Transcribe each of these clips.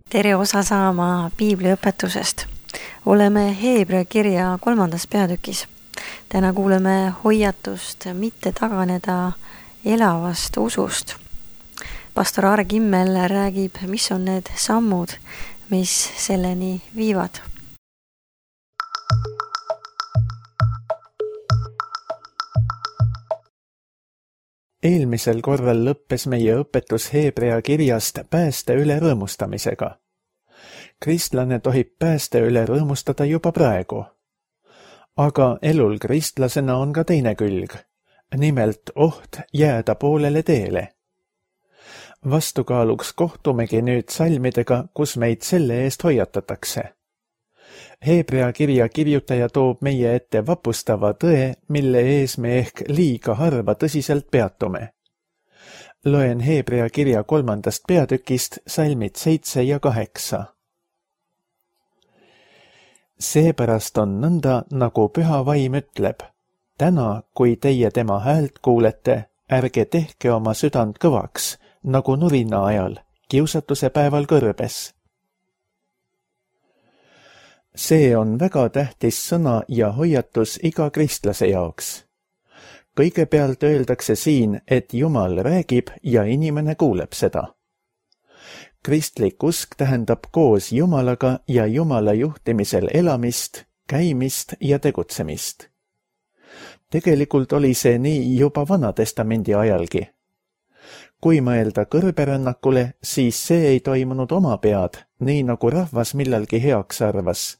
Tere osa saama piibliõpetusest. Oleme Heebrea kirja 3. peatükis. Täna kuuleme hoiatust mitte taganeda elavast usust. Pastor Aare Kimmel räägib, mis on need sammud, mis selleni viivad. Eelmisel korral lõppes meie õpetus Heebrea kirjast pääste üle rõõmustamisega. Kristlane tohib pääste üle rõõmustada juba praegu. Aga elul kristlasena on ka teine külg, nimelt oht jääda poolele teele. Vastukaaluks kohtumegi nüüd salmidega, kus meid selle eest hoiatatakse. Heebrea kirja kirjutaja toob meie ette vapustava tõe, mille ees me ehk liiga harva tõsiselt peatume. Loen Heebrea kirja 3. peatükist salmid 7 ja 8. Seepärast on nõnda, nagu Püha Vaim ütleb. Täna, kui teie tema häält kuulete, ärge tehke oma südant kõvaks, nagu nurina ajal, kiusatuse päeval kõrbes. See on väga tähtis sõna ja hoiatus iga kristlase jaoks. Kõigepealt öeldakse siin, et Jumal räägib ja inimene kuuleb seda. Kristlik usk tähendab koos Jumalaga ja Jumala juhtimisel elamist, käimist ja tegutsemist. Tegelikult oli see nii juba Vanatestamendi ajalgi. Kui mõelda kõrberännakule, siis see ei toimunud oma pead, nii nagu rahvas millalgi heaks arvas,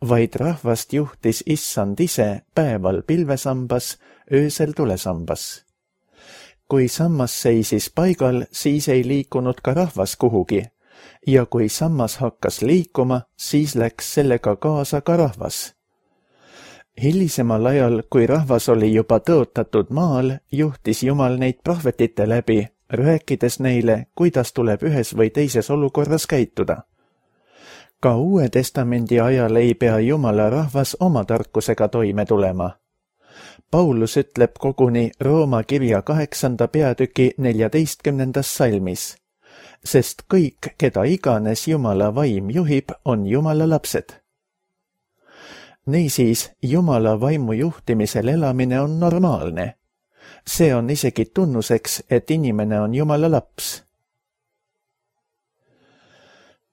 vaid rahvast juhtis Issand ise päeval pilvesambas, öösel tulesambas. Kui sammas seisis paigal, siis ei liikunud ka rahvas kuhugi, ja kui sammas hakkas liikuma, siis läks sellega kaasa ka rahvas. Hilisemal ajal, kui rahvas oli juba tõotatud maal, juhtis Jumal neid prohvetite läbi, rääkides neile, kuidas tuleb ühes või teises olukorras käituda. Ka Uue Testamendi ajal ei pea Jumala rahvas oma tarkusega toime tulema. Paulus ütleb koguni Rooma kirja 8. peatüki 14. salmis, sest kõik, keda iganes Jumala vaim juhib, on Jumala lapsed. Niisiis, Jumala vaimu juhtimisel elamine on normaalne. See on isegi tunnuseks, et inimene on Jumala laps.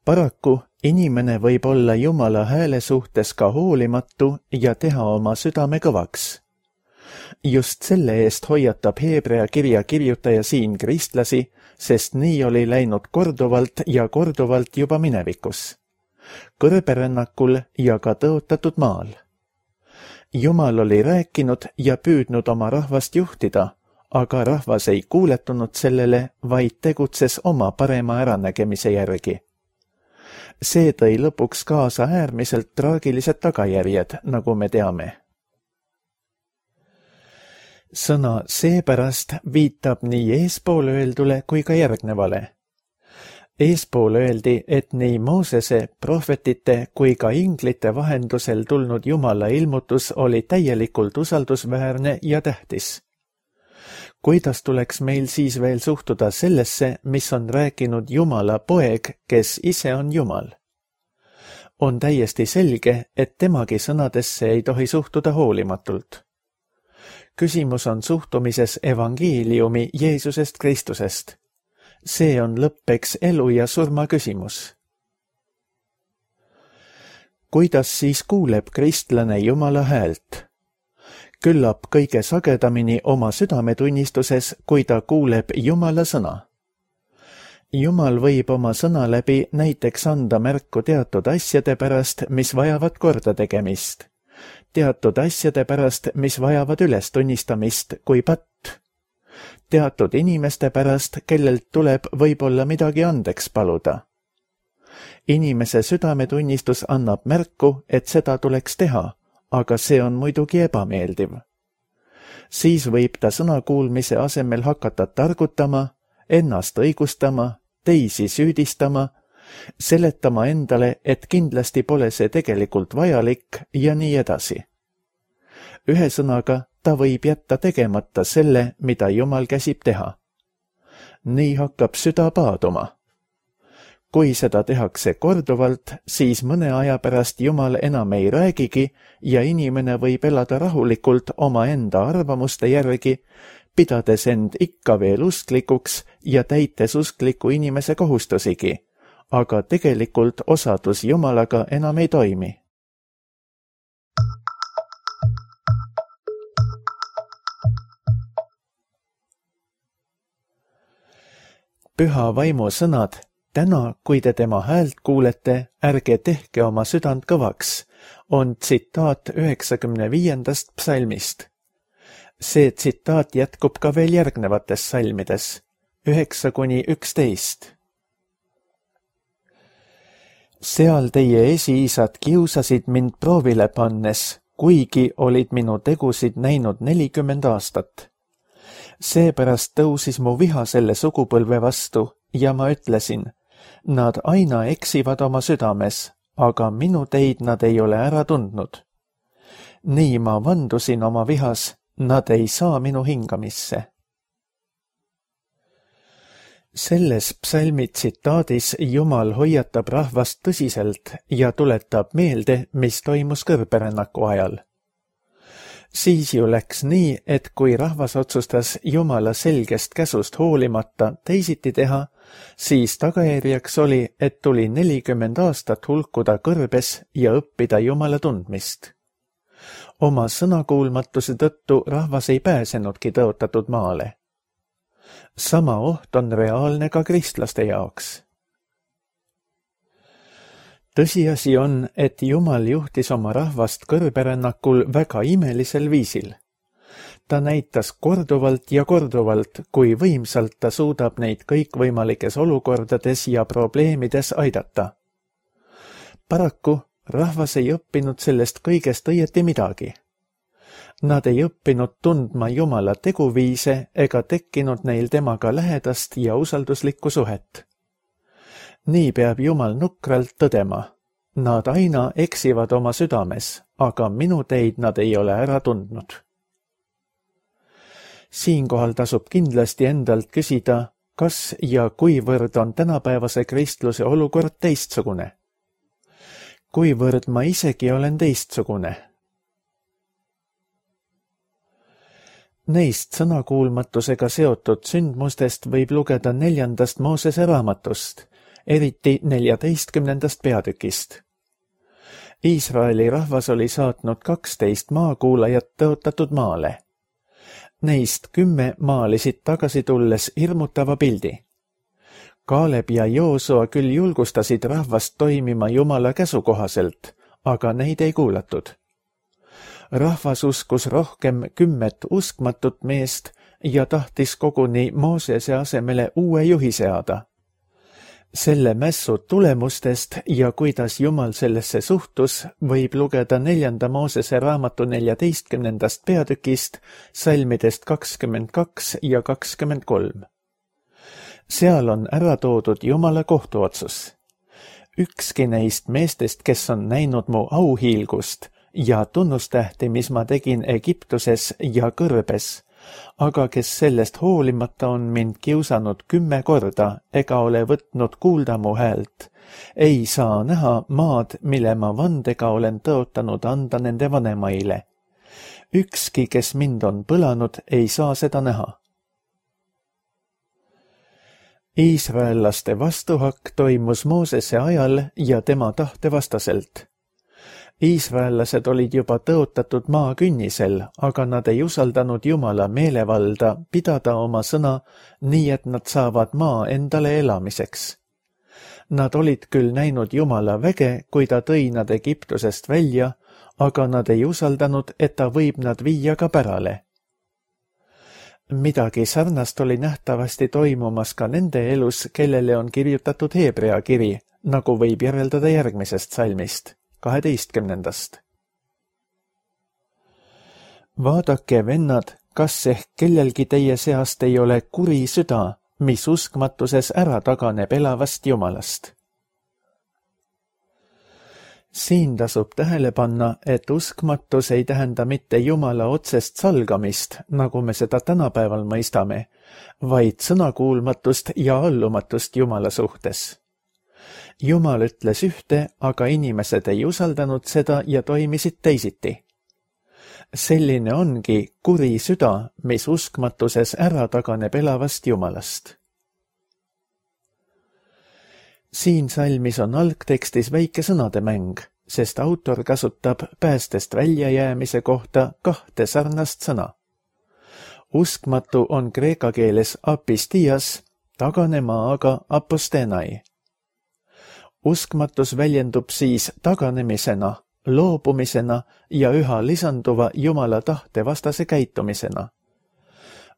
Paraku inimene võib olla Jumala hääle suhtes ka hoolimatu ja teha oma südame kõvaks. Just selle eest hoiatab Heebrea kirja kirjutaja siin kristlasi, sest nii oli läinud korduvalt ja korduvalt juba minevikus. Kõrberännakul ja ka tõotatud maal. Jumal oli rääkinud ja püüdnud oma rahvast juhtida, aga rahvas ei kuuletunud sellele, vaid tegutses oma parema äranägemise järgi. See tõi lõpuks kaasa äärmiselt traagilised tagajärjed, nagu me teame. Sõna seepärast viitab nii eespool öeldule kui ka järgnevale. Eespool öeldi, et nii Moosese, prohvetite kui ka inglite vahendusel tulnud Jumala ilmutus oli täielikult usaldusväärne ja tähtis. Kuidas tuleks meil siis veel suhtuda sellesse, mis on rääkinud Jumala poeg, kes ise on Jumal? On täiesti selge, et temagi sõnadesse ei tohi suhtuda hoolimatult. Küsimus on suhtumises evangeeliumi Jeesusest Kristusest. See on lõppeks elu ja surma küsimus. Kuidas siis kuuleb kristlane Jumala häält? Küllap kõige sagedamini oma südametunnistuses, kui ta kuuleb Jumala sõna. Jumal võib oma sõna läbi näiteks anda märku teatud asjade pärast, mis vajavad korda tegemist. Teatud asjade pärast, mis vajavad ülestunnistamist kui patt. Teatud inimeste pärast, kellelt tuleb võib-olla midagi andeks paluda. Inimese südametunnistus annab märku, et seda tuleks teha, aga see on muidugi ebameeldiv. Siis võib ta sõna kuulmise asemel hakata targutama, ennast õigustama, teisi süüdistama, seletama endale, et kindlasti pole see tegelikult vajalik ja nii edasi. Ühesõnaga, ta võib jätta tegemata selle, mida Jumal käsib teha. Nii hakkab süda paaduma. Kui seda tehakse korduvalt, siis mõne aja pärast Jumal enam ei räägigi ja inimene võib elada rahulikult omaenda arvamuste järgi, pidades end ikka veel usklikuks ja täites uskliku inimese kohustusigi, aga tegelikult osadus Jumalaga enam ei toimi. Püha vaimu sõnad: täna, kui te tema häält kuulete, ärge tehke oma südant kõvaks, on tsitaat 95. psalmist. See tsitaat jätkub ka veel järgnevates salmides, 9–11. Seal teie esiisad kiusasid mind proovile pannes, kuigi olid minu tegusid näinud 40 aastat. Seepärast tõusis mu viha selle sugupõlve vastu ja ma ütlesin, nad aina eksivad oma südames, aga minu teid nad ei ole ära tundnud. Nii ma vandusin oma vihas, nad ei saa minu hingamisse. Selles psalmi tsitaadis Jumal hoiatab rahvast tõsiselt ja tuletab meelde, mis toimus kõrberännaku ajal. Siis ju läks nii, et kui rahvas otsustas Jumala selgest käsust hoolimata teisiti teha, siis tagajärjeks oli, et tuli 40 aastat hulkuda kõrbes ja õppida Jumala tundmist. Oma sõnakuulmatuse tõttu rahvas ei pääsenudki tõotatud maale. Sama oht on reaalne ka kristlaste jaoks. Tõsiasi on, et Jumal juhtis oma rahvast kõrberännakul väga imelisel viisil. Ta näitas korduvalt ja korduvalt, kui võimsalt ta suudab neid kõikvõimalikes olukordades ja probleemides aidata. Paraku rahvas ei õppinud sellest kõigest õieti midagi. Nad ei õppinud tundma Jumala teguviise ega tekkinud neil temaga lähedast ja usalduslikku suhet. Nii peab Jumal nukralt tõdema. Nad aina eksivad oma südames, aga minu teid nad ei ole ära tundnud. Siinkohal tasub kindlasti endalt küsida, kas ja kuivõrd on tänapäevase kristluse olukord teistsugune. Kuivõrd ma isegi olen teistsugune. Neist sõnakuulmatusega seotud sündmustest võib lugeda 4. Moosese raamatust, eriti 14. peatükist. Iisraeli rahvas oli saatnud 12 maakuulajat tõotatud maale. Neist 10 maalisid tagasi tulles hirmutava pildi. Kaaleb ja Joosua küll julgustasid rahvast toimima Jumala käsu kohaselt, aga neid ei kuulatud. Rahvas uskus rohkem 10 uskmatut meest ja tahtis koguni Moosese asemele uue juhi seada. Selle mässu tulemustest ja kuidas Jumal sellesse suhtus, võib lugeda 4. Moosese raamatu 14. peatükist, salmidest 22 ja 23. Seal on ära toodud Jumala kohtuotsus. Ükski neist meestest, kes on näinud mu auhiilgust ja tunnustähti, mis ma tegin Egiptuses ja kõrbes, aga kes sellest hoolimata on mind kiusanud 10 korda ega ole võtnud kuulda mu häält, ei saa näha maad, mille ma vandega olen tõotanud anda nende vanemaile. Ükski, kes mind on põlanud, ei saa seda näha. Iisraellaste vastuhakk toimus Moosese ajal ja tema tahte vastaselt. Iisraellased olid juba tõotatud maa künnisel, aga nad ei usaldanud Jumala meelevalda pidada oma sõna nii, et nad saavad maa endale elamiseks. Nad olid küll näinud Jumala väge, kui ta tõi nad Egiptusest välja, aga nad ei usaldanud, et ta võib nad viia ka pärale. Midagi sarnast oli nähtavasti toimumas ka nende elus, kellele on kirjutatud Heebrea kiri, nagu võib järeldada järgmisest salmist. 12. Vaadake, vennad, kas ehk kellelgi teie seast ei ole kuri süda, mis uskmatuses ära taganeb elavast Jumalast. Siin tasub tähele panna, et uskmatus ei tähenda mitte Jumala otsest salgamist, nagu me seda tänapäeval mõistame, vaid sõnakuulmatust ja allumatust Jumala suhtes. Jumal ütles ühte, aga inimesed ei usaldanud seda ja toimisid teisiti. Selline ongi kuri süda, mis uskmatuses ära taganeb elavast Jumalast. Siin salmis on algtekstis väike sõnademäng, sest autor kasutab päästest väljajäämise kohta kahte sarnast sõna. Uskmatu on kreeka keeles apistias, taganema aga apostenai. Uskmatus väljendub siis taganemisena, loobumisena ja üha lisanduva Jumala tahte vastase käitumisena.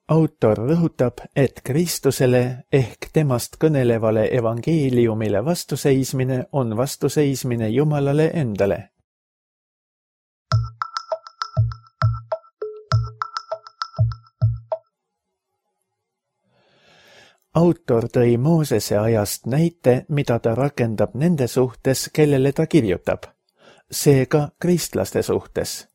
Autor rõhutab, et Kristusele ehk temast kõnelevale evangeeliumile vastuseismine on vastuseismine Jumalale endale. Autor tõi Moosese ajast näite, mida ta rakendab nende suhtes, kellele ta kirjutab, seega kristlaste suhtes.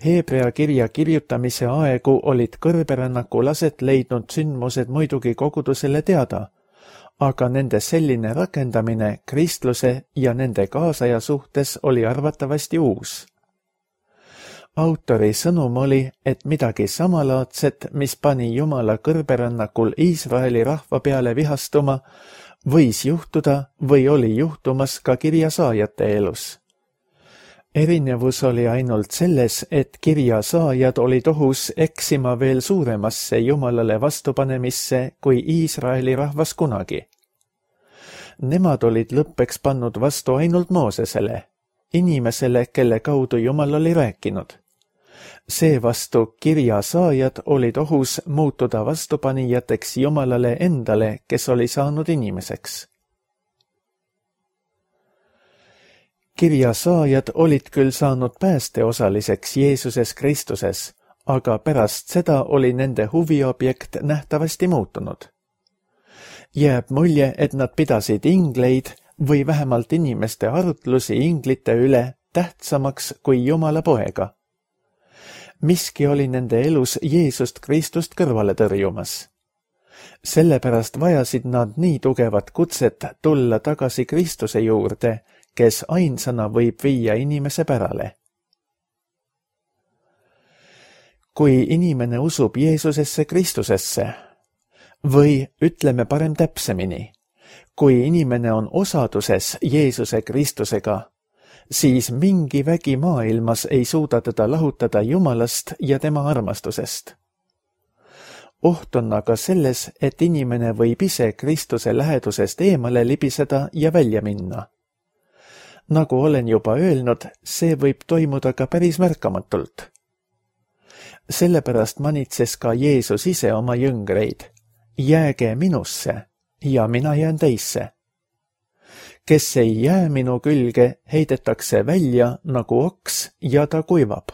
Heebrea kirja kirjutamise aegu olid kõrberännakul aset leidnud sündmused muidugi kogudusele teada, aga nende selline rakendamine kristluse ja nende kaasaja suhtes oli arvatavasti uus. Autori sõnum oli, et midagi samalaadset, mis pani Jumala kõrberännakul Iisraeli rahva peale vihastuma, võis juhtuda või oli juhtumas ka kirjasaajate elus. Erinevus oli ainult selles, et kirjasaajad olid ohus eksima veel suuremasse Jumalale vastupanemisse kui Iisraeli rahvas kunagi. Nemad olid lõppeks pannud vastu ainult Moosesele, inimesele, kelle kaudu Jumal oli rääkinud. Seevastu kirjasaajad olid ohus muutuda vastupanijateks Jumalale endale, kes oli saanud inimeseks. Kirjasaajad olid küll saanud päästeosaliseks Jeesuses Kristuses, aga pärast seda oli nende huviobjekt nähtavasti muutunud. Jääb mulje, et nad pidasid ingleid või vähemalt inimeste arutlusi inglite üle tähtsamaks kui Jumala poega. Miski oli nende elus Jeesust Kristust kõrvale tõrjumas. Sellepärast vajasid nad nii tugevat kutset tulla tagasi Kristuse juurde, kes ainsana võib viia inimese pärale. Kui inimene usub Jeesusesse Kristusesse, või ütleme parem täpsemini, kui inimene on osaduses Jeesuse Kristusega, siis mingi vägi maailmas ei suuda teda lahutada Jumalast ja tema armastusest. Oht on aga selles, et inimene võib ise Kristuse lähedusest eemale libiseda ja välja minna. Nagu olen juba öelnud, see võib toimuda ka päris märkamatult. Sellepärast manitses ka Jeesus ise oma jüngreid, jääge minusse ja mina jään teisse. Kes ei jää minu külge, heidetakse välja nagu oks ja ta kuivab.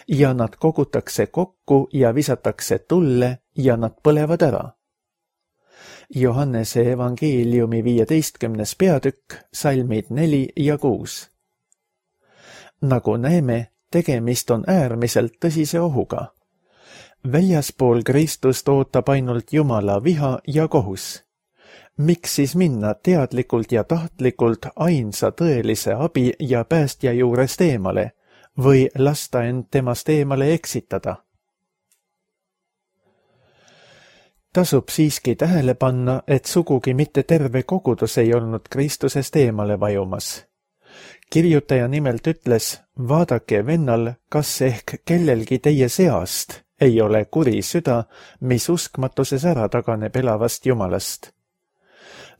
Ja nad kogutakse kokku ja visatakse tulle ja nad põlevad ära. Johannese evangeeliumi 15. peatükk, salmid 4 ja 6. Nagu näeme, tegemist on äärmiselt tõsise ohuga. Väljaspool Kristust ootab ainult Jumala viha ja kohus. Miks siis minna teadlikult ja tahtlikult ainsa tõelise abi ja päästja juurest eemale või lasta end temast eemale eksitada? Tasub siiski tähele panna, et sugugi mitte terve kogudus ei olnud Kristusest eemale vajumas. Kirjutaja nimelt ütles, vaadake vennal, kas ehk kellelgi teie seast ei ole kuri süda, mis uskmatuses ära taganeb elavast Jumalast.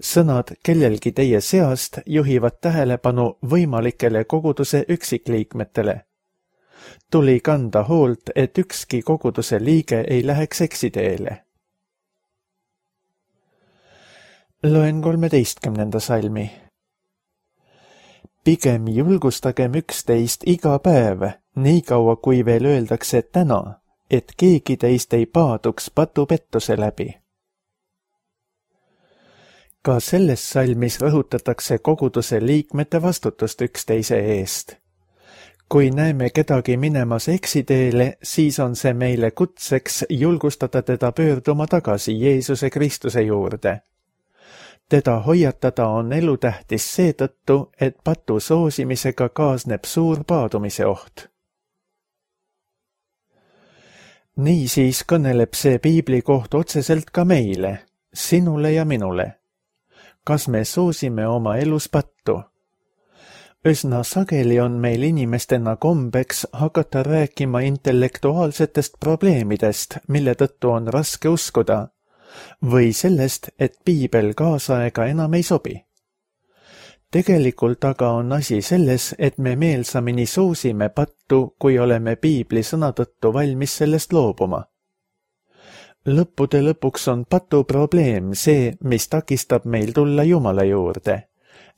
Sõnad kellelgi teie seast juhivad tähelepanu võimalikele koguduse üksikliikmetele. Tuli kanda hoolt, et ükski koguduse liige ei läheks eksiteele. Loen 13. salmi. Pigem julgustagem üksteist iga päev, nii kaua kui veel öeldakse täna, et keegi teist ei paaduks patupettuse läbi. Ka selles salmis rõhutatakse koguduse liikmete vastutust üksteise eest. Kui näeme kedagi minemas eksiteele, siis on see meile kutseks julgustada teda pöörduma tagasi Jeesuse Kristuse juurde. Teda hoiatada on elutähtis seetõttu, et patu soosimisega kaasneb suur paadumise oht. Niisiis kõneleb see piibli koht otseselt ka meile, sinule ja minule. Kas me soosime oma elus pattu? Üsna sageli on meil inimestena kombeks hakata rääkima intellektuaalsetest probleemidest, mille tõttu on raske uskuda, või sellest, et piibel kaasaega enam ei sobi. Tegelikult aga on asi selles, et me meelsamini soosime pattu, kui oleme piibli sõna tõttu valmis sellest loobuma. Lõppude lõpuks on patu probleem see, mis takistab meil tulla Jumala juurde.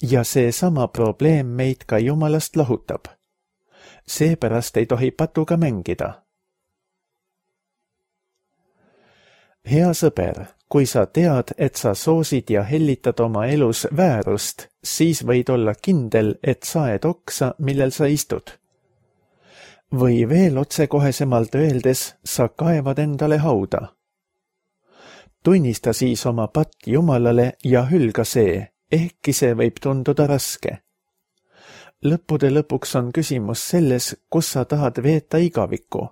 Ja seesama probleem meid ka Jumalast lahutab. Seepärast ei tohi patuga mängida. Hea sõber, kui sa tead, et sa soosid ja hellitad oma elus väärust, siis võid olla kindel, et saed oksa, millel sa istud. Või veel otsekohesemalt öeldes, sa kaevad endale hauda. Tunnista siis oma patt Jumalale ja hülga see, ehkki see võib tunduda raske. Lõppude lõpuks on küsimus selles, kus sa tahad veeta igavikku.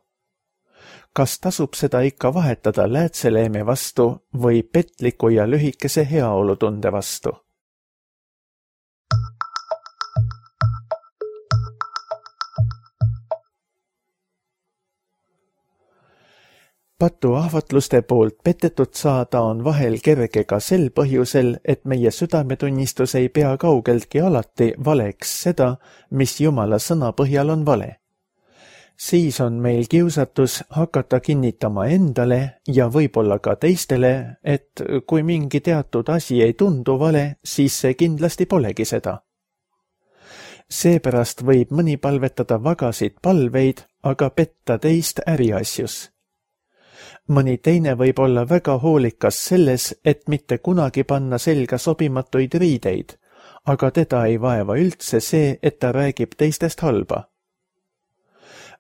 Kas tasub seda ikka vahetada läätseleeme vastu või petliku ja lühikese heaolutunde vastu? Patu ahvatluste poolt petetud saada on vahel kerge ka sel põhjusel, et meie südametunnistus ei pea kaugeltki alati valeks seda, mis Jumala sõna põhjal on vale. Siis on meil kiusatus hakata kinnitama endale ja võib-olla ka teistele, et kui mingi teatud asi ei tundu vale, siis see kindlasti polegi seda. Seepärast võib mõni palvetada vagasid palveid, aga petta teist äriasjus. Mõni teine võib olla väga hoolikas selles, et mitte kunagi panna selga sobimatuid riideid, aga teda ei vaeva üldse see, et ta räägib teistest halba.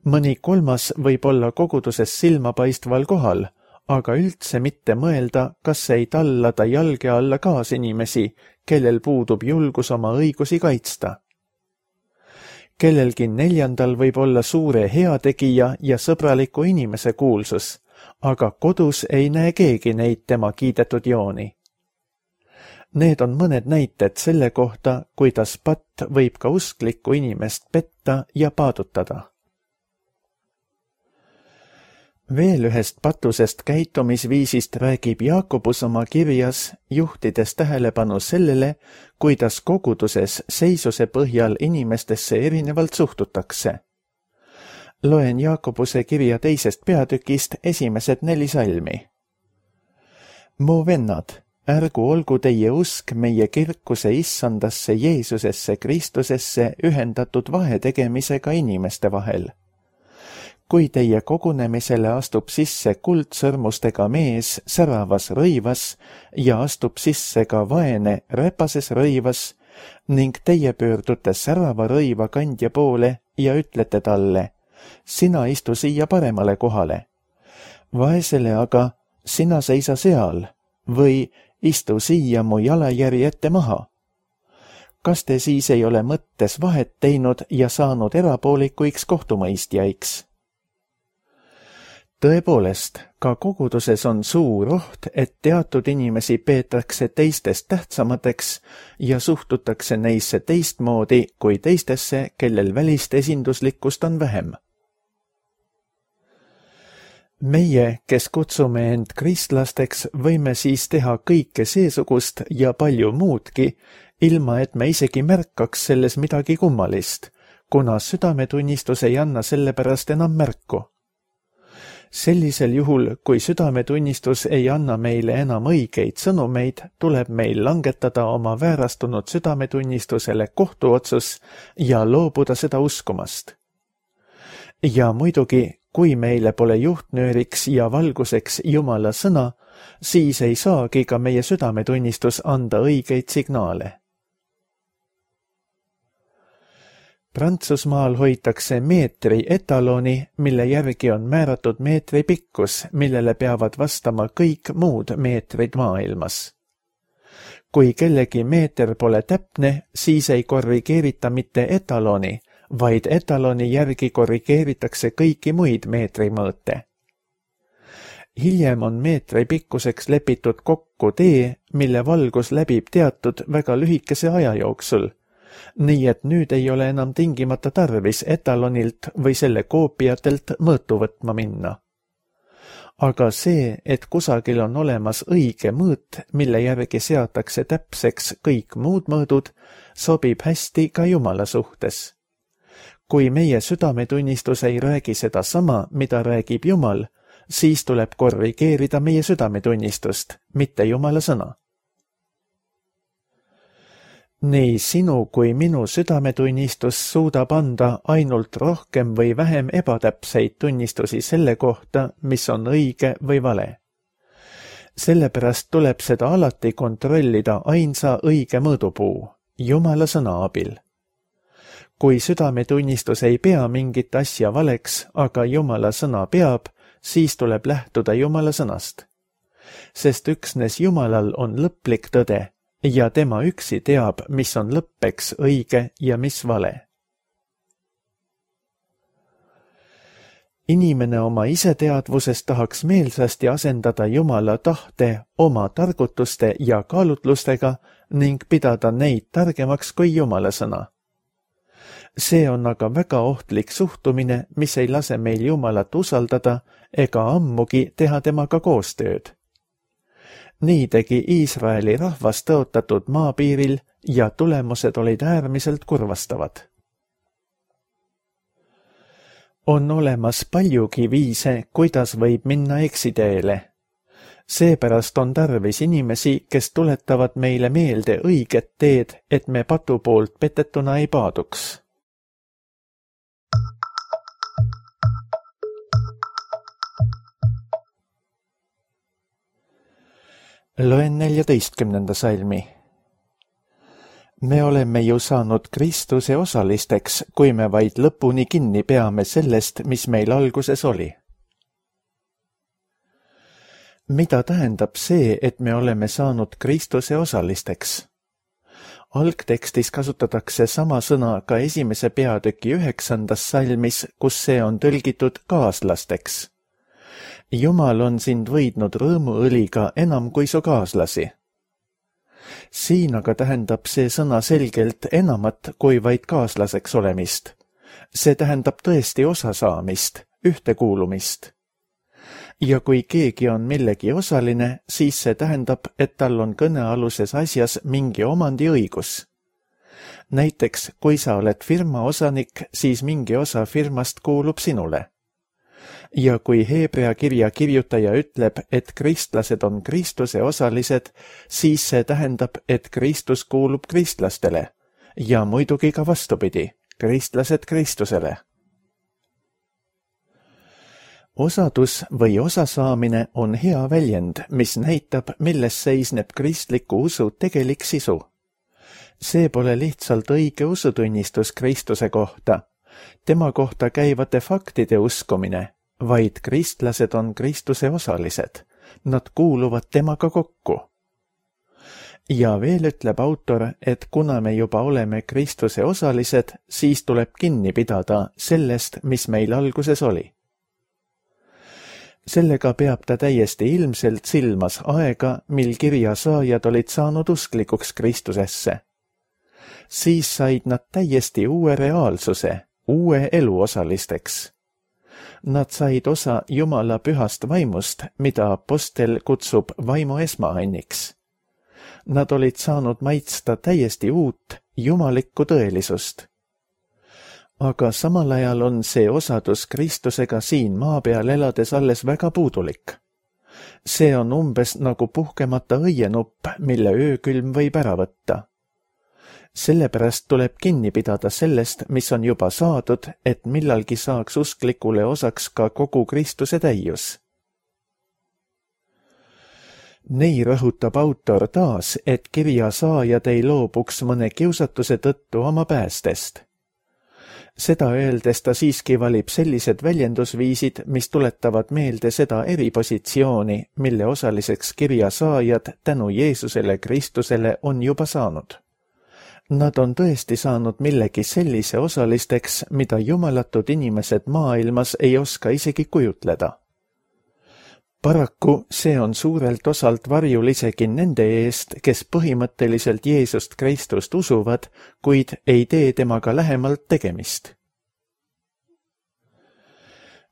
Mõni kolmas võib olla koguduses silmapaistval kohal, aga üldse mitte mõelda, kas ei tallada jalge alla kaasinimesi, kellel puudub julgus oma õigusi kaitsta. Kellelgi neljandal võib olla suure heategija ja sõbraliku inimese kuulsus, aga kodus ei näe keegi neid tema kiidetud jooni. Need on mõned näited selle kohta, kuidas patt võib ka usklikku inimest petta ja paadutada. Veel ühest patusest käitumisviisist räägib Jaakobus oma kirjas, juhtides tähelepanu sellele, kuidas koguduses seisuse põhjal inimestesse erinevalt suhtutakse. Loen Jaakobuse kirja 2. peatükist esimesed 4 salmi. Mu vennad, ärgu olgu teie usk meie kirkuse issandasse Jeesusesse Kristusesse ühendatud vahetegemisega inimeste vahel. Kui teie kogunemisele astub sisse kuldsõrmustega mees säravas rõivas ja astub sisse ka vaene räpases rõivas ning teie pöördute särava rõiva kandja poole ja ütlete talle, sina istu siia paremale kohale. Vaesele aga, sina seisa seal või istu siia mu jalajärje ette maha. Kas te siis ei ole mõttes vahet teinud ja saanud erapoolikuiks kohtumõistjaiks? Tõepoolest, ka koguduses on suur oht, et teatud inimesi peetakse teistest tähtsamateks ja suhtutakse neisse teistmoodi kui teistesse, kellel välist esinduslikkust on vähem. Meie, kes kutsume end kristlasteks, võime siis teha kõike seesugust ja palju muudki, ilma et me isegi märkaks selles midagi kummalist, kuna südametunnistus ei anna selle pärast enam märku. Sellisel juhul, kui südametunnistus ei anna meile enam õigeid sõnumeid, tuleb meil langetada oma väärastunud südametunnistusele kohtuotsus ja loobuda seda uskumast. Ja muidugi, kui meile pole juhtnööriks ja valguseks Jumala sõna, siis ei saagi ka meie südametunnistus anda õigeid signaale. Prantsusmaal hoitakse meetri etaloni, mille järgi on määratud meetri pikkus, millele peavad vastama kõik muud meetrid maailmas. Kui kellegi meeter pole täpne, siis ei korrigeerita mitte etaloni, vaid etaloni järgi korrigeeritakse kõiki muid meetrimõõte. Hiljem on meetri pikkuseks lepitud kokku tee, mille valgus läbib teatud väga lühikese aja jooksul, nii et nüüd ei ole enam tingimata tarvis etalonilt või selle koopiatelt mõõtu võtma minna. Aga see, et kusagil on olemas õige mõõt, mille järgi seatakse täpseks kõik muud mõõdud, sobib hästi ka Jumala suhtes. Kui meie südametunnistus ei räägi seda sama, mida räägib Jumal, siis tuleb korrigeerida meie südametunnistust, mitte Jumala sõna. Nii sinu kui minu südametunnistus suudab anda ainult rohkem või vähem ebatäpseid tunnistusi selle kohta, mis on õige või vale. Sellepärast tuleb seda alati kontrollida ainsa õige mõõdupuu, Jumala sõna abil. Kui südametunnistus ei pea mingit asja valeks, aga Jumala sõna peab, siis tuleb lähtuda Jumala sõnast. Sest üksnes Jumalal on lõplik tõde ja tema üksi teab, mis on lõppeks õige ja mis vale. Inimene oma iseteadvusest tahaks meelsasti asendada Jumala tahte oma targutuste ja kaalutlustega ning pidada neid targemaks kui Jumala sõna. See on aga väga ohtlik suhtumine, mis ei lase meil Jumalat usaldada ega ammugi teha temaga koostööd. Nii tegi Iisraeli rahvas tõotatud maapiiril ja tulemused olid äärmiselt kurvastavad. On olemas paljugi viise, kuidas võib minna eksiteele. Seepärast on tarvis inimesi, kes tuletavad meile meelde õiget teed, et me patu poolt petetuna ei paaduks. Loen 14. salmi. Me oleme ju saanud Kristuse osalisteks, kui me vaid lõpuni kinni peame sellest, mis meil alguses oli. Mida tähendab see, et me oleme saanud Kristuse osalisteks? Algtekstis kasutatakse sama sõna ka 1. peatüki 9. salmis, kus see on tõlgitud kaaslasteks. Jumal on sind võidnud rõõmuõliga enam kui su kaaslasi. Siin aga tähendab see sõna selgelt enamat kui vaid kaaslaseks olemist. See tähendab tõesti osasaamist, ühtekuulumist. Ja kui keegi on millegi osaline, siis see tähendab, et tal on kõnealuses asjas mingi omandiõigus. Näiteks, kui sa oled firma osanik, siis mingi osa firmast kuulub sinule. Ja kui Heebrea kirja kirjutaja ütleb, et kristlased on Kristuse osalised, siis see tähendab, et Kristus kuulub kristlastele ja muidugi ka vastupidi, kristlased Kristusele. Osadus või osasaamine on hea väljend, mis näitab, milles seisneb kristliku usu tegelik sisu. See pole lihtsalt õige usutunnistus Kristuse kohta, tema kohta käivate faktide uskumine, vaid kristlased on Kristuse osalised. Nad kuuluvad temaga kokku. Ja veel ütleb autor, et kuna me juba oleme Kristuse osalised, siis tuleb kinni pidada sellest, mis meil alguses oli. Sellega peab ta täiesti ilmselt silmas aega, mil kirja saajad olid saanud usklikuks Kristusesse. Siis said nad täiesti uue reaalsuse, uue elu osalisteks. Nad said osa Jumala pühast vaimust, mida apostel kutsub vaimu esmaanniks. Nad olid saanud maitsta täiesti uut, jumalikku tõelisust. Aga samal ajal on see osadus Kristusega siin maa peal elades alles väga puudulik. See on umbes nagu puhkemata õienupp, mille öökülm võib ära võtta. Sellepärast tuleb kinni pidada sellest, mis on juba saadud, et millalgi saaks usklikule osaks ka kogu Kristuse täius. Nii rõhutab autor taas, et kirja saajad ei loobuks mõne kiusatuse tõttu oma päästest. Seda öeldes ta siiski valib sellised väljendusviisid, mis tuletavad meelde seda eripositsiooni, mille osaliseks kirja saajad tänu Jeesusele Kristusele on juba saanud. Nad on tõesti saanud millegi sellise osalisteks, mida jumalatud inimesed maailmas ei oska isegi kujutleda. Paraku see on suurelt osalt varjul isegi nende eest, kes põhimõtteliselt Jeesust Kristust usuvad, kuid ei tee temaga lähemalt tegemist.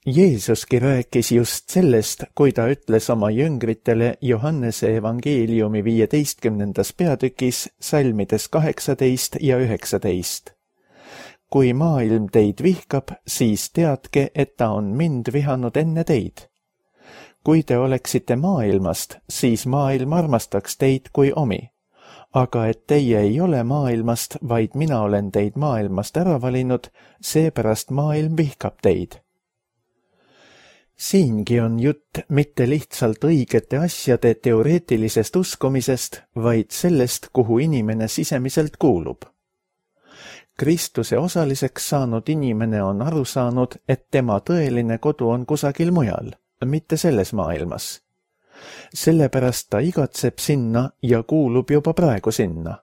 Jeesuski rääkis just sellest, kui ta ütles oma jüngritele Johannese evangeeliumi 15. peatükis salmides 18 ja 19. Kui maailm teid vihkab, siis teadke, et ta on mind vihanud enne teid. Kui te oleksite maailmast, siis maailm armastaks teid kui omi. Aga et teie ei ole maailmast, vaid mina olen teid maailmast ära valinud, seepärast maailm vihkab teid. Siingi on jutt mitte lihtsalt õigete asjade teoreetilisest uskumisest, vaid sellest, kuhu inimene sisemiselt kuulub. Kristuse osaliseks saanud inimene on aru saanud, et tema tõeline kodu on kusagil mujal, mitte selles maailmas. Sellepärast ta igatseb sinna ja kuulub juba praegu sinna.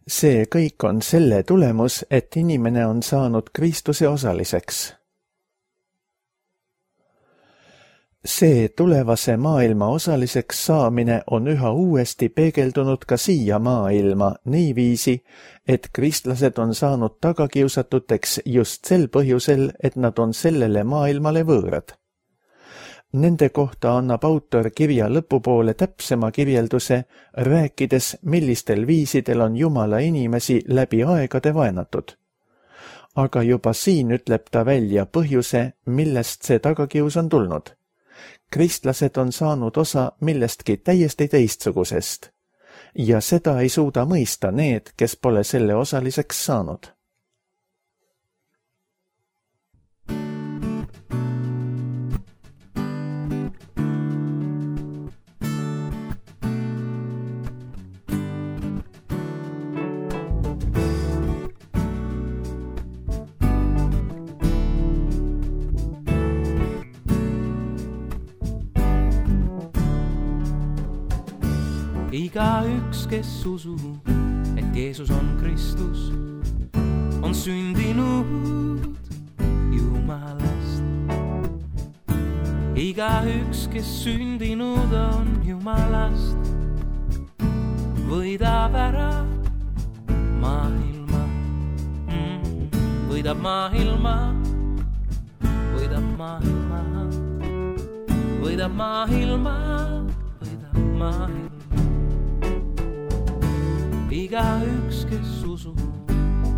See kõik on selle tulemus, et inimene on saanud Kristuse osaliseks. See tulevase maailma osaliseks saamine on üha uuesti peegeldunud ka siia maailma niiviisi, et kristlased on saanud tagakiusatuteks just sel põhjusel, et nad on sellele maailmale võõrad. Nende kohta annab autor kirja lõpupoole täpsema kirjelduse, rääkides, millistel viisidel on Jumala inimesi läbi aegade vaenatud. Aga juba siin ütleb ta välja põhjuse, millest see tagakius on tulnud. Kristlased on saanud osa millestki täiesti teistsugusest ja seda ei suuda mõista need, kes pole selle osaliseks saanud. Igaüks, kes usub, et Jeesus on Kristus, on sündinud Jumalast. Igaüks, kes sündinud on Jumalast, võidab ära maailma. Võidab maailma, võidab maailma, võidab maailma, võidab maailma. Igaüks, kes usub,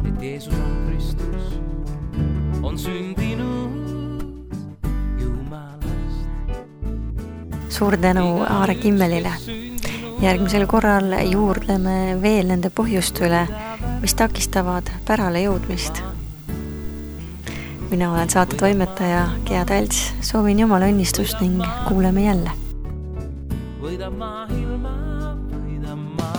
et Jeesus on Kristus, on sündinud Jumalast. Suur tänu Aare Kimmelile. Järgmisel korral juurdleme veel nende põhjuste üle, mis takistavad pärale jõudmist. Mina olen saate toimetaja Gea Talts. Soovin Jumala õnnistust ning kuuleme jälle. Võidab maailma, võidab maailma.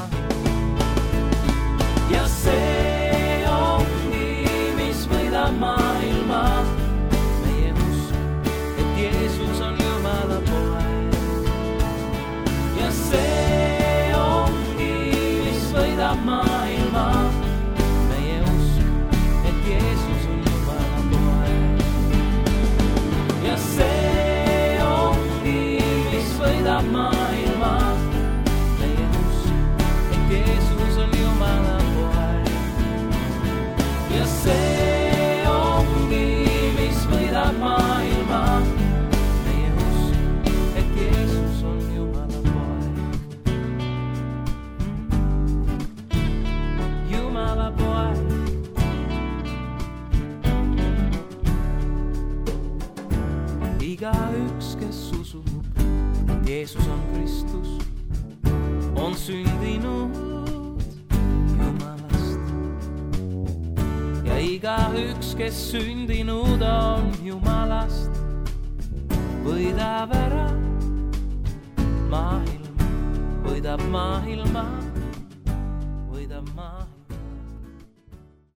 Ja see ongi, mis võidab maailma. Meie usk, et Jeesus on Jumala poeg. Ja see ongi, mis võidab maailma. Meie usk, et Jeesus on Jumala poeg. Ja see ongi, mis võidab maailma. Meie usk, et Jeesus on Jumala poeg. Ja see ongi, mis võidab maailma. Meie usk, et Jeesus on Jumala poeg. Jumala poeg. Igaüks, kes usub, et Jeesus on Kristus, on sündinud ja igaüks, kes sündinud on Jumalast, võidab ära maailma, võidab maailma.